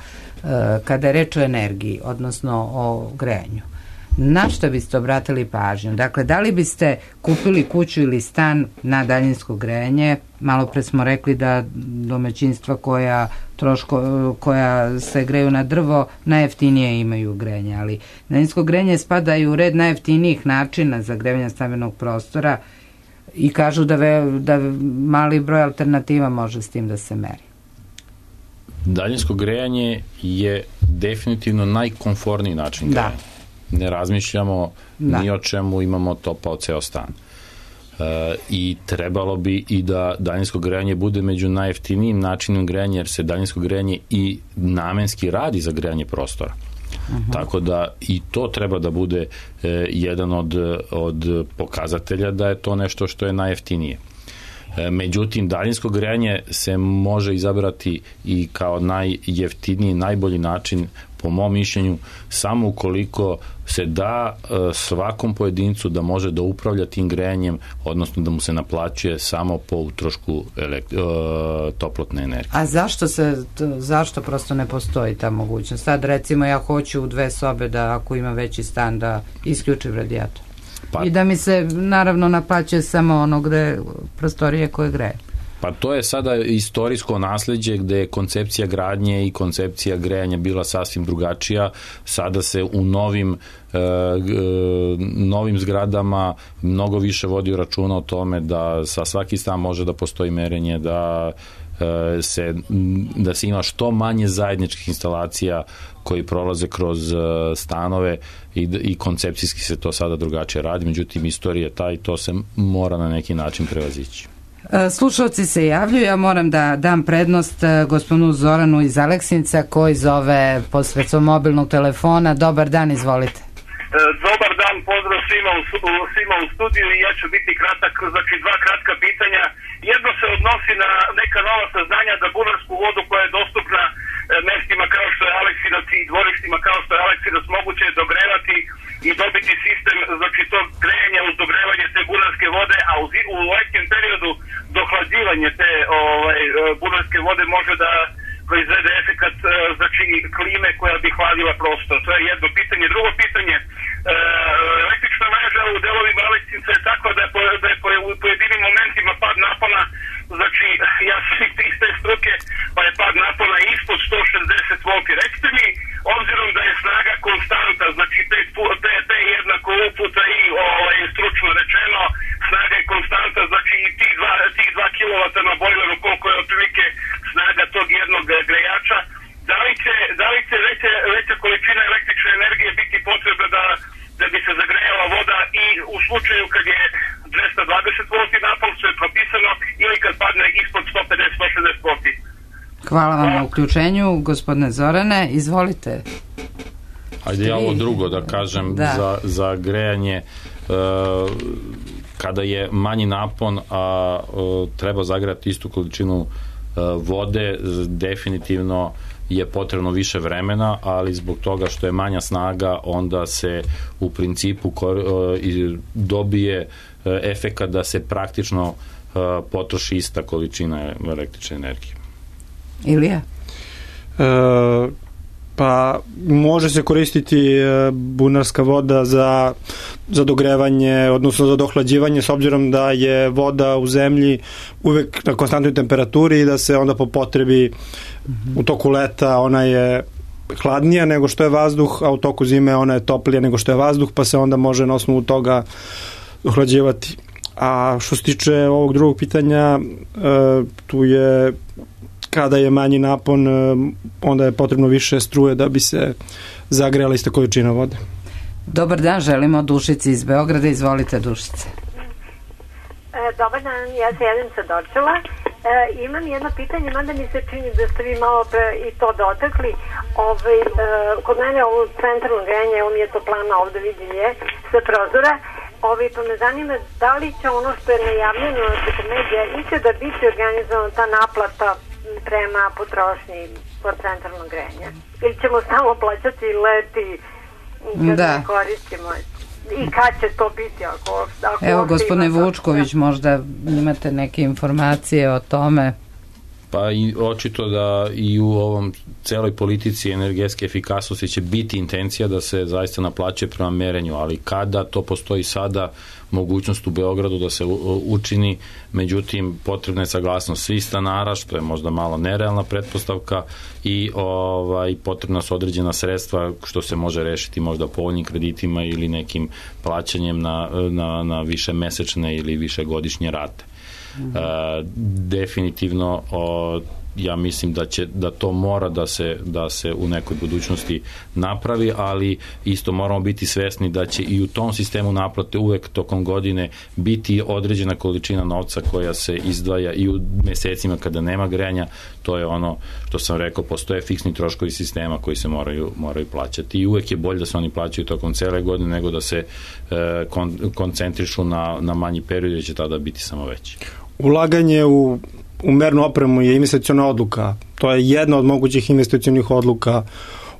kada je reč o energiji, odnosno o grejanju, na što biste obratili pažnju? Dakle, da li biste kupili kuću ili stan na daljinsko grejanje? Malo pre smo rekli da domaćinstva koja, troško, koja se greju na drvo najjeftinije imaju grejanje, ali daljinsko grejanje spada i u red najjeftinijih načina za grejanje stambenog prostora i kažu da, ve, da mali broj alternativa može s tim da se meri. Daljinsko grejanje je definitivno najkomforniji način grejanja. Da. Ne razmišljamo da. Ni o čemu, imamo topao ceo stan. E, I trebalo bi i da daljinsko grejanje bude među najjeftinijim načinom grejanja, jer se daljinsko grejanje i namenski radi za grejanje prostora. Uh-huh. Tako da i to treba da bude e, jedan od, od pokazatelja da je to nešto što je najjeftinije. E, međutim, daljinsko grejanje se može izabrati i kao najjeftiniji, najbolji način, po mom mišljenju, samo ukoliko se da svakom pojedincu da može da upravlja tim grejanjem, odnosno da mu se naplaćuje samo po utrošku elekt, toplotne energije. A zašto se, zašto prosto ne postoji ta mogućnost? Sad recimo ja hoću u dve sobe da ako ima veći stan da isključim radijator. Pa, i da mi se naravno naplaćuje samo ono gde prostorije koje greje. Pa to je sada istorijsko nasleđe gde je koncepcija gradnje i koncepcija grejanja bila sasvim drugačija. Sada se u novim e, novim zgradama mnogo više vodi računa o tome da sa svaki stan može da postoji merenje, da se, da se ima što manje zajedničkih instalacija koji prolaze kroz stanove i, i koncepcijski se to sada drugačije radi, međutim istorija je ta i to se mora na neki način prevazići. Slušalci se javljaju, ja moram da dam prednost gospodinu Zoranu iz Aleksinca koji zove posredstvom mobilnog telefona. Dobar dan, izvolite. Dobar dan, pozdrav svima u, svima u studiju i ja ću biti kratak, znači dva kratka pitanja. Jedno se odnosi na neka nova saznanja da bunarsku vodu koja je dostupna mestima kao što je Aleksinac i dvorištima kao što je Aleksinac moguće je dogrevati i dobiti sistem, znači to grejanje uz dogrevanje te bunarske vode, a u, u letnjem periodu dohlađivanje te ovaj, bunarske vode može da proizvede efekat, znači klime koja bi hladila prostor. To je jedno pitanje. Drugo pitanje, e, električna mreža u delovima Aleksinca je takva da je, po, da je po, u pojedinim momentima pad napona, znači ja sam iz te struke, pa je pad napona ispod sto šezdeset volti. Recite mi, obzirom da je snaga konstanta, znači te, te, te jednako uputa i ovaj, stručno rečeno, snaga je konstanta, znači tih dva, tih dva kilovata na bojleru, koliko je otprilike snaga tog jednog grejača, da li će, da li će veća, veća količina električne energije biti potrebna da, da bi se zagrejala voda i u slučaju kad je dvesta dvadeset volti napon, što je propisano, ili kad padne ispod sto pedeset do sto šezdeset volti. Hvala vam na uključenju, gospodine Zorane, izvolite. Ajde ja ovo drugo da kažem, da. Za, za grejanje, uh, kada je manji napon, a uh, treba zagrejati istu količinu vode, definitivno je potrebno više vremena, ali zbog toga što je manja snaga, onda se u principu dobije efekat da se praktično potroši ista količina električne energije. Ilija? E, pa može se koristiti bunarska voda za, za dogrevanje, odnosno za dohlađivanje, s obzirom da je voda u zemlji uvek na konstantnoj temperaturi i da se onda po potrebi mm-hmm. u toku leta ona je hladnija nego što je vazduh, a u toku zime ona je toplija nego što je vazduh, pa se onda može na osnovu toga dohlađivati. A što se tiče ovog drugog pitanja, tu je kada je manji napon, onda je potrebno više struje da bi se zagrejala ista količina vode. Dobar dan, želimo Dušici iz Beograda. Izvolite, Dušice. E, dobar dan, ja se javim sa Dorčela. E, imam jedno pitanje, mada mi se čini da ste vi malo pre i to dotakli. Ove, e, kod mene ovo centralno grejanje, evo mi je toplana, ovde vidim je, sa prozora. Ove, pa me zanima da li će ono što je najavljeno preko medija ikada biti organizovana ta naplata prema potrošnji kod centralnog grejanja? Ili ćemo samo plaćati leti kad da. ne koristimo? I kad će to biti? Ako, ako Evo, gospodine Vučković, možda imate neke informacije o tome. Pa i očito da i u ovom celoj politici energetske efikasnosti će biti intencija da se zaista naplaćuje prema merenju, ali kada to postoji sada mogućnost u Beogradu da se učini, međutim potrebna je saglasnost svih stanara, što je možda malo nerealna pretpostavka i ovaj, potrebna su određena sredstva što se može rešiti možda povoljnim kreditima ili nekim plaćanjem na, na, na više mesečne ili više godišnje rate. Uh, definitivno o, ja mislim da će da to mora da se da se u nekoj budućnosti napravi, ali isto moramo biti svesni da će i u tom sistemu naplate uvek tokom godine biti određena količina novca koja se izdvaja i u mesecima kada nema grejanja. To je ono što sam rekao, postoje fiksni troškovi sistema koji se moraju moraju plaćati i uvek je bolje da se oni plaćaju tokom cele godine nego da se e, kon, koncentrišu na, na manji period, jer će tada biti samo veći. Ulaganje u, u mernu opremu je investiciona odluka. To je jedna od mogućih investicionih odluka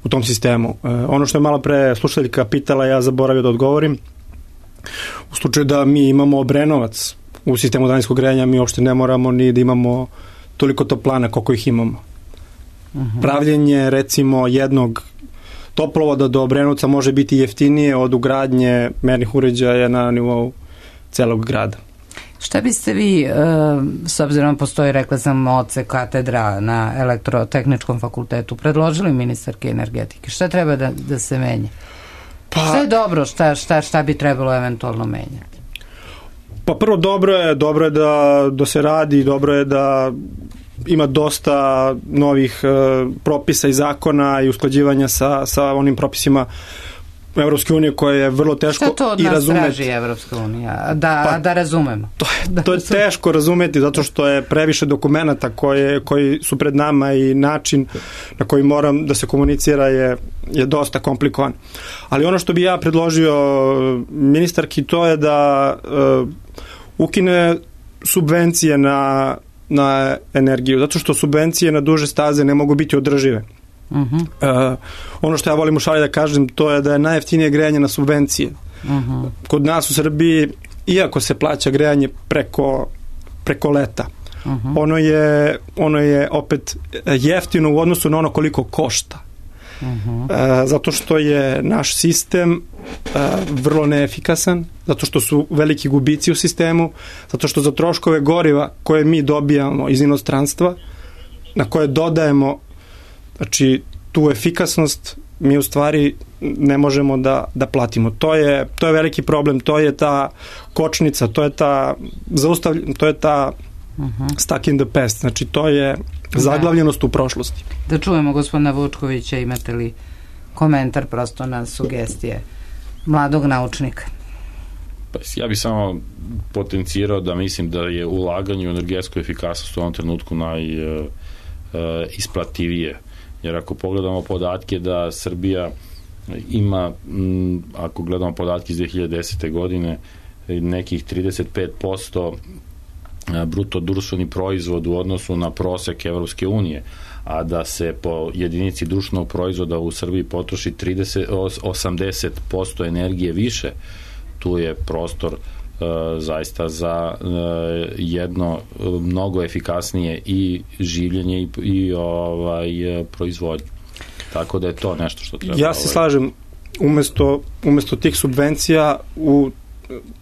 u tom sistemu. E, ono što je malo pre slušaljka pitala, ja zaboravio da odgovorim. U slučaju da mi imamo Obrenovac u sistemu daljinskog grejanja, mi uopšte ne moramo ni da imamo toliko toplana koliko ih imamo. Uh-huh. Pravljenje, recimo, jednog toplovoda do Obrenovca može biti jeftinije od ugradnje mernih uređaja na nivou celog grada. Šta biste vi, e, s obzirom postoji, rekla sam, oce katedra na elektrotehničkom fakultetu, predložili ministarke energetike? Šta treba da, da se menja? Pa, šta je dobro, šta, šta, šta bi trebalo eventualno menjati? Pa prvo, dobro je, dobro je da, da se radi, dobro je da ima dosta novih e, propisa i zakona i usklađivanja sa, sa onim propisima Evropske unije koje je vrlo teško i razumeti. Šta to od nas razumeti. Traži Evropska unija? Da, pa, da razumemo. To je, to je teško razumeti zato što je previše dokumenata koje, koji su pred nama i način na koji moram da se komunicira je, je dosta komplikovan. Ali ono što bi ja predložio ministarki, to je da uh, ukine subvencije na, na energiju, zato što subvencije na duže staze ne mogu biti održive. Uh-huh. Uh, ono što ja volim u šali da kažem, to je da je najjeftinije grejanje na subvencije. Uh-huh. Kod nas u Srbiji, iako se plaća grejanje preko, preko leta, uh-huh. ono, je, ono je opet jeftino u odnosu na ono koliko košta. Uh-huh. Uh, zato što je naš sistem uh, vrlo neefikasan, zato što su veliki gubici u sistemu, zato što za troškove goriva koje mi dobijamo iz inostranstva, na koje dodajemo, znači, tu efikasnost mi u stvari ne možemo da, da platimo. To je, to je veliki problem, to je ta kočnica, to je ta zaustavljena, to je ta uh-huh. stuck in the past, znači to je zaglavljenost u prošlosti. Da čujemo gospodina Vučkovića, imate li komentar prosto na sugestije mladog naučnika? Pa, ja bih samo potencirao da mislim da je ulaganje u energetsku efikasnost u ovom trenutku naj uh, isplativije. Jer ako pogledamo podatke da Srbija ima, m, ako gledamo podatke iz dve hiljade desete. godine, nekih trideset pet posto bruto društveni proizvod u odnosu na prosek Evropske unije, a da se po jedinici društvenog proizvoda u Srbiji potroši trideset, osamdeset posto energije više, tu je prostor Uh, zaista za uh, jedno uh, mnogo efikasnije i življenje i, i ovaj, uh, proizvodnje. Tako da je to nešto što treba. Ja se ovaj... slažem, umesto, umesto tih subvencija u,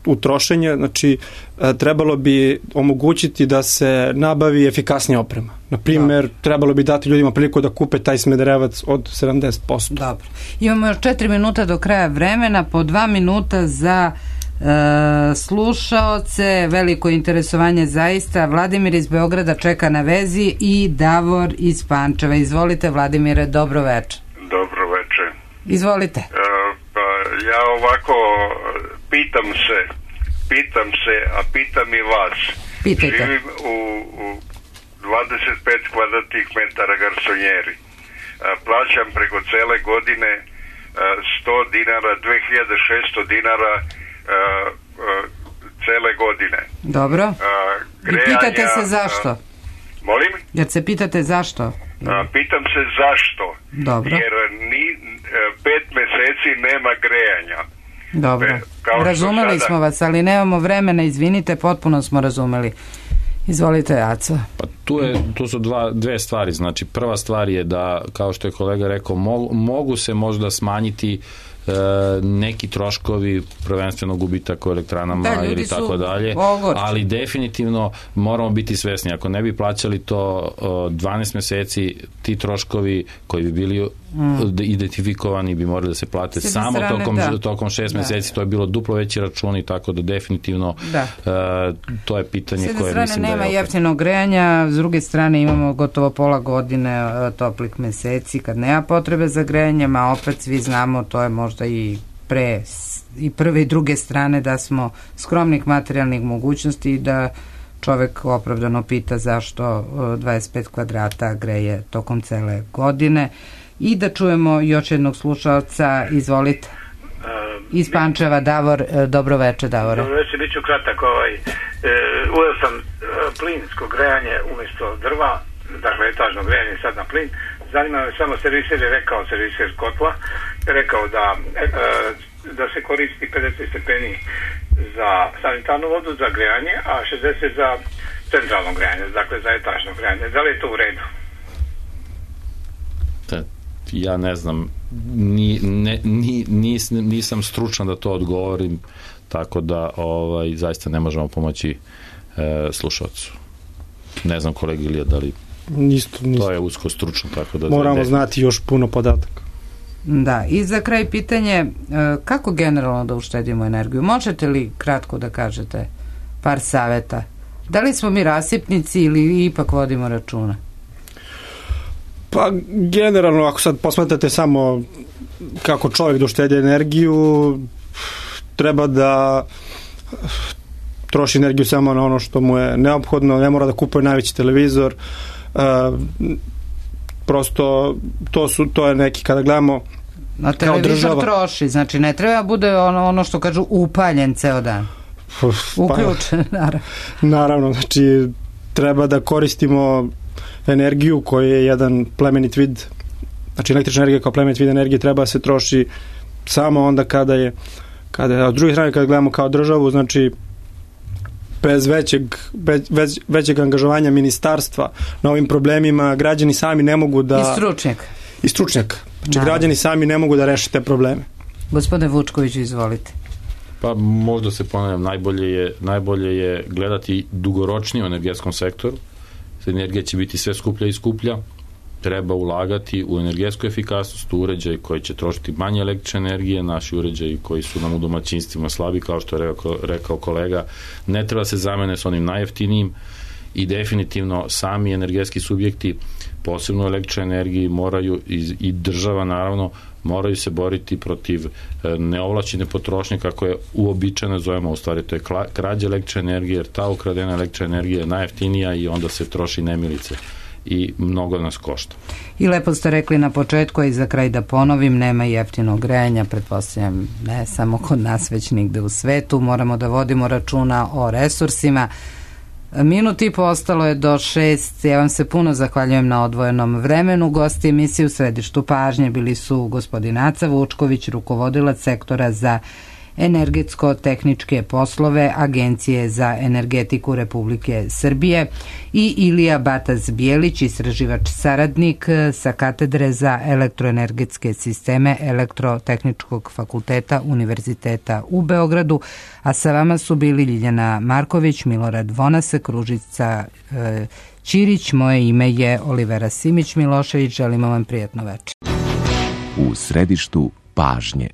u trošenje, znači uh, trebalo bi omogućiti da se nabavi efikasnija oprema. Naprimjer, da. Trebalo bi dati ljudima priliku da kupe taj smederevac od sedamdeset posto. Dobro. Imamo još četiri minuta do kraja vremena, po dva minuta za E, slušaoce, veliko interesovanje zaista. Vladimir iz Beograda čeka na vezi i Davor iz Pančeva. Izvolite, Vladimire, dobro veče. Dobro veče. Izvolite. E, pa ja ovako pitam se, pitam se, a pitam i vas. Pitajte. Živim u, u dvadeset pet kvadratnih metara garsonjeri. E, plaćam preko cele godine e, sto dinara, dve hiljade šesto dinara Uh, uh, cele godine. Dobro. Uh, grejanja, I pitate se zašto? Uh, molim? Jer se pitate zašto? Uh, pitam se zašto. Dobro. Jer ni, uh, pet meseci nema grejanja. Dobro. Pe, razumeli sada... smo vas, ali nemamo vremena, izvinite, potpuno smo razumeli. Izvolite, Aco. Pa tu, je, tu su dva, dve stvari. Znači, prva stvar je da, kao što je kolega rekao, mogu, mogu se možda smanjiti neki troškovi, prvenstveno gubitak u elektranama da, ili tako dalje, ogorči. Ali definitivno moramo biti svesni, ako ne bi plaćali to dvanaest meseci, ti troškovi koji bi bili mm. identifikovani bi morali da se plate samo strane, tokom, da. tokom šest da. meseci, to je bilo duplo veći računi, tako da definitivno da. Uh, to je pitanje koje mislim da je... nema jeftinog grejanja, s druge strane imamo gotovo pola godine uh, toplih meseci kad nema potrebe za grejanjem, a opet svi znamo, to je možda i pre i prve i druge strane da smo skromnih materijalnih mogućnosti i da čovek opravdano pita zašto dvadeset pet kvadrata greje tokom cele godine. I da čujemo još jednog slušalca, izvolite. Iz Pančeva, Davor, dobro veče, Davore. Dobro veče, bit ću kratak. Ovaj, e, uveo sam e, plinsko grejanje umjesto drva, dakle etažno grejanje sad na plin. Zanima me samo, serviser je rekao, serviser kotla, je rekao da, e, da se koristi pedeset stepeni za sanitarnu vodu, za grejanje, a šezdeset za centralno grejanje, dakle za etažno grejanje. Da li je to u redu? ja ne znam, ni, ne, ni, nis, nisam stručan da to odgovorim, tako da ovaj, zaista ne možemo pomoći e, slušalcu. Ne znam, kolega Ilija, da li Nisto, nisto. To je usko stručno, tako da... Moramo da znati još puno podataka. Da, i za kraj pitanje, kako generalno da uštedimo energiju? Možete li kratko da kažete par saveta? Da li smo mi rasipnici ili ipak vodimo računa? Pa generalno, ako sad posmatrate samo kako čovjek da uštedi energiju, treba da troši energiju samo na ono što mu je neophodno, ne mora da kupuje najveći televizor, uh, prosto to su to je neki, kada gledamo na televizor troši, znači ne treba bude ono, ono što kažu upaljen ceo dan, uključen. Pa, naravno. naravno, znači treba da koristimo energiju koja je jedan plemenit vid, znači električna energija kao plemenit vid energije treba da se troši samo onda kada je, kada je, a od druge strane kada gledamo kao državu, znači bez većeg, bez, većeg angažovanja ministarstva na ovim problemima građani sami ne mogu da... I stručnjak. I stručnjak. Znači, građani sami ne mogu da reše te probleme. Gospodine Vučkoviću, izvolite. Pa možda se ponavljam, najbolje je, najbolje je gledati dugoročnije u energetskom sektoru. Energija će biti sve skuplja i skuplja. Treba ulagati u energetsku efikasnost, u uređaj koji će trošiti manje električne energije, naši uređaji koji su nam u domaćinstvima slabi, kao što je rekao, rekao kolega, ne treba se zamene s onim najjeftinijim i definitivno sami energetski subjekti, posebno u električnoj energiji, moraju i, i država naravno, moraju se boriti protiv neovlašćene potrošnje, kako je uobičajeno zovemo, u stvari to je krađa električne energije, jer ta ukradena električna energija je najjeftinija i onda se troši nemilice i mnogo nas košta. I lepo ste rekli na početku, i za kraj da ponovim, nema jeftinog grejanja, pretpostavljam ne samo kod nas, već nigde u svetu. Moramo da vodimo računa o resursima. Minut i po ostalo je do šest. Ja vam se puno zahvaljujem na odvojenom vremenu. Gosti emisije u središtu pažnje bili su gospodin Aca Vučković, rukovodilac sektora za energetsko-tehničke poslove Agencije za energetiku Republike Srbije, i Ilija Bataz-Bijelić, istraživač saradnik sa katedre za elektroenergetske sisteme Elektrotehničkog fakulteta Univerziteta u Beogradu, a sa vama su bili Ljiljana Marković, Milorad Vonasek, Ružica e, Ćirić, moje ime je Olivera Simić Milošević, želimo vam prijatno večer. U središtu pažnje.